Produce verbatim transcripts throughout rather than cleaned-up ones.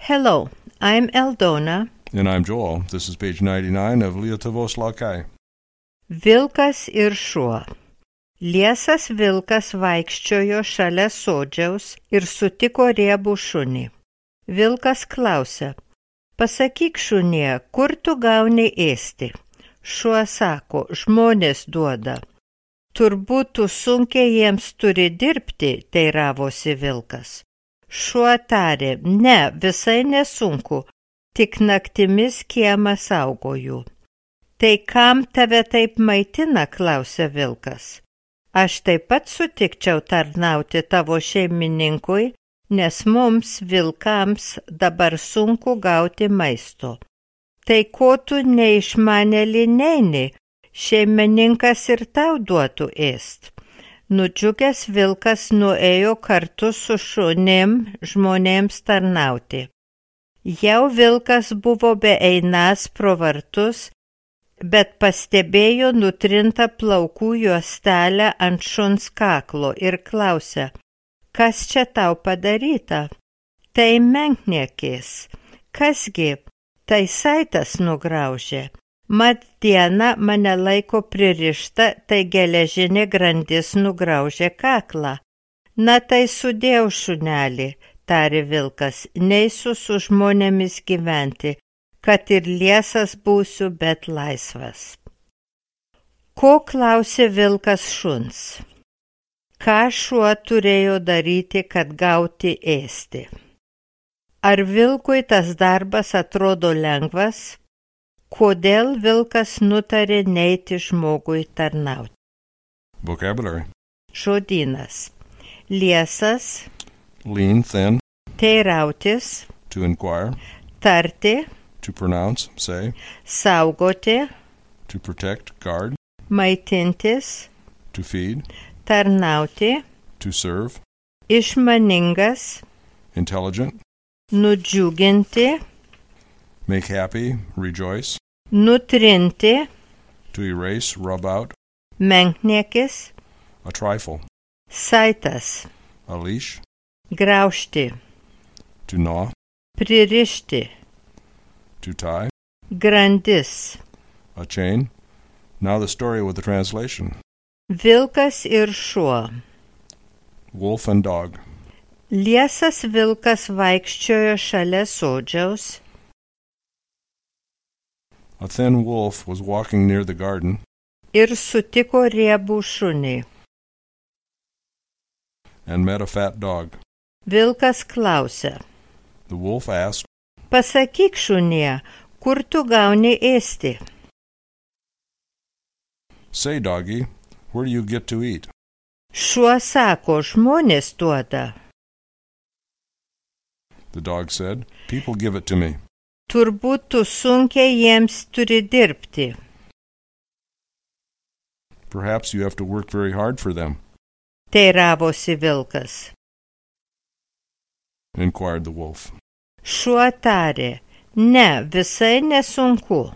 Hello, I'm Eldona. And I'm Joel. This is page ninety-nine of Lietuvos Laikai. Vilkas ir šuo. Liesas vilkas vaikščiojo šalia sodžiaus ir sutiko riebų šunį. Vilkas klausia, pasakyk šunie, kur tu gauni ėsti? Šuo sako, žmonės duoda. Turbūt tu sunkiai jiems turi dirbti, teiravosi vilkas. Šuo tarė, ne, visai nesunku, tik naktimis kiemą saugoju. Tai kam tave taip maitina, klausia vilkas. Aš taip pat sutikčiau tarnauti tavo šeimininkui, nes mums, vilkams, dabar sunku gauti maisto. Tai ko tu neišmanėli neini, šeimininkas ir tau duotų ėst. Nudžiugęs vilkas nuėjo kartu su šunim žmonėms tarnauti. Jau vilkas buvo beeinas pro vartus, bet pastebėjo nutrintą plaukų juostelę ant šuns kaklo ir klausė, kas čia tau padaryta? Tai menkniekis. Kasgi? Tai saitas nugraužė. Mat diena mane laiko pririšta, tai geležinė grandis nugraužė kaklą. Na tai sudėjau šunelį, tarė vilkas, neisiu su žmonėmis gyventi, kad ir liesas būsiu, bet laisvas. Ko klausė vilkas šuns? Ką šuo turėjo daryti, kad gauti ėsti? Ar vilkui tas darbas atrodo lengvas? Kodėl vilkas nutarė neiti žmogui tarnauti? Vocabulary. Žodynas. Liesas. Lean, thin. Teirautis. To inquire. Tarti. To pronounce, say. Saugoti. To protect, guard. Maitintis. To feed. Tarnauti. To serve. Išmaningas. Intelligent. Nudžiuginti. Make happy, rejoice. Nutrinti. To erase, rub out. Menkniekis. A trifle. Saitas. A leash. Graužti. To gnaw. Pririšti. To tie. Grandis. A chain. Now the story with the translation. Vilkas ir šuo. Wolf and dog. Liesas vilkas vaikščiojo šalia sodžiaus. A thin wolf was walking near the garden. Ir sutiko riebų šunį. And met a fat dog. Vilkas klausia. The wolf asked, pasakyk šunie, kur tu gauni ėsti? say, doggy, where do you get to eat? Šuo sako, žmonės duoda. The dog said, people give it to me. Turbūt tu sunkiai jiems turi dirbti. Perhaps you have to work very hard for them, Teiravosi vilkas. inquired the wolf. Šuo tarė, ne, visai nesunku.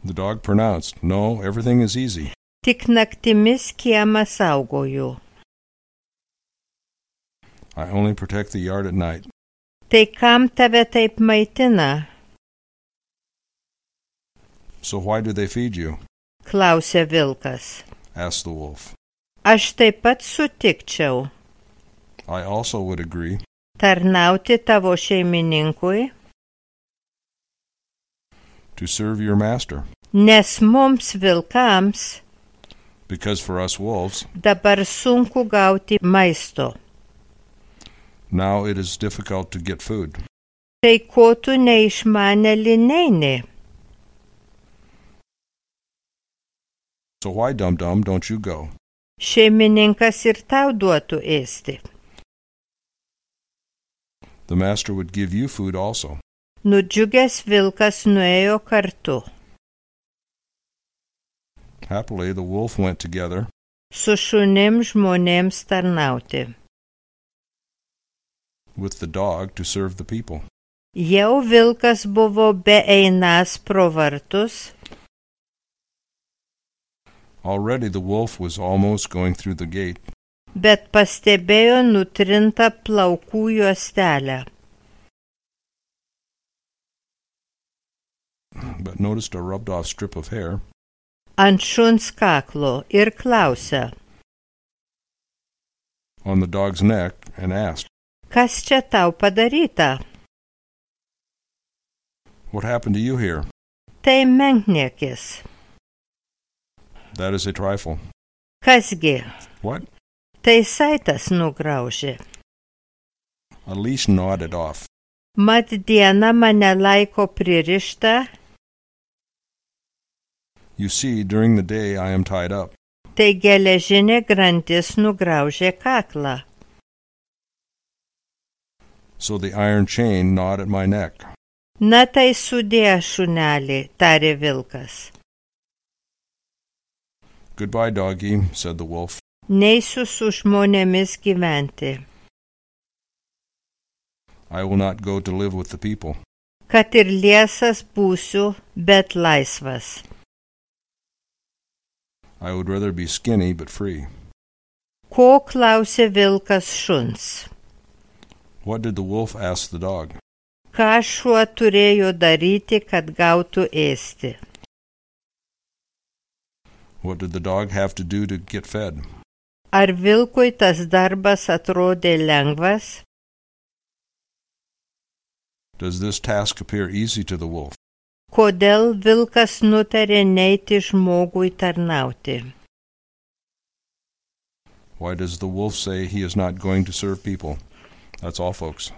The dog pronounced, no, everything is easy. Tik naktimis kiemą saugoju. I only protect the yard at night. Tai kam tave taip maitina? So why do they feed you? Klausė vilkas. Asked the wolf. Aš taip pat sutikčiau. I also would agree. Tarnauti tavo šeimininkui, To serve your master. nes mums vilkams Because for us wolves, dabar sunku gauti maisto. now it is difficult to get food. Tai ko tu neišmanėli neini? So why, dum-dum, don't you go? Šeimininkas ir tau duotų ėsti. The master would give you food also. Nudžiugęs vilkas nuėjo kartu. Happily, the wolf went together, Su šunim žmonėms tarnauti. with the dog to serve the people. Jau vilkas buvo beeinas pro vartus, Already the wolf was almost going through the gate, bet pastebėjo nutrintą plaukų juostelę. but noticed a rubbed-off strip of hair. ant šuns kaklo ir klausia, On the dog's neck and asked, kas čia tau padaryta? "What happened to you here?" Tai menkniekis. That is a trifle. Kasgi? What? Tai saitas nugraužė. A leash nodded off. Mat diena mane laiko pririštą, You see, during the day I am tied up. tai geležinė grandis nugraužė kaklą. So the iron chain gnawed at my neck. Na tai sudė, šunelį, tarė vilkas. Goodbye, doggy, said the wolf. Neisiu su žmonėmis gyventi, I will not go to live with the people. kad ir liesas būsiu, bet laisvas. I would rather be skinny but free. Ko klausė vilkas šuns? What did the wolf ask the dog? Ką šuo turėjo daryti, kad gautų ėsti? What did the dog have to do to get fed? Ar vilkui tas darbas atrodė lengvas? Does this task appear easy to the wolf? Kodėl vilkas nutarė neiti žmogui tarnauti? Why does the wolf say he is not going to serve people? That's all, folks.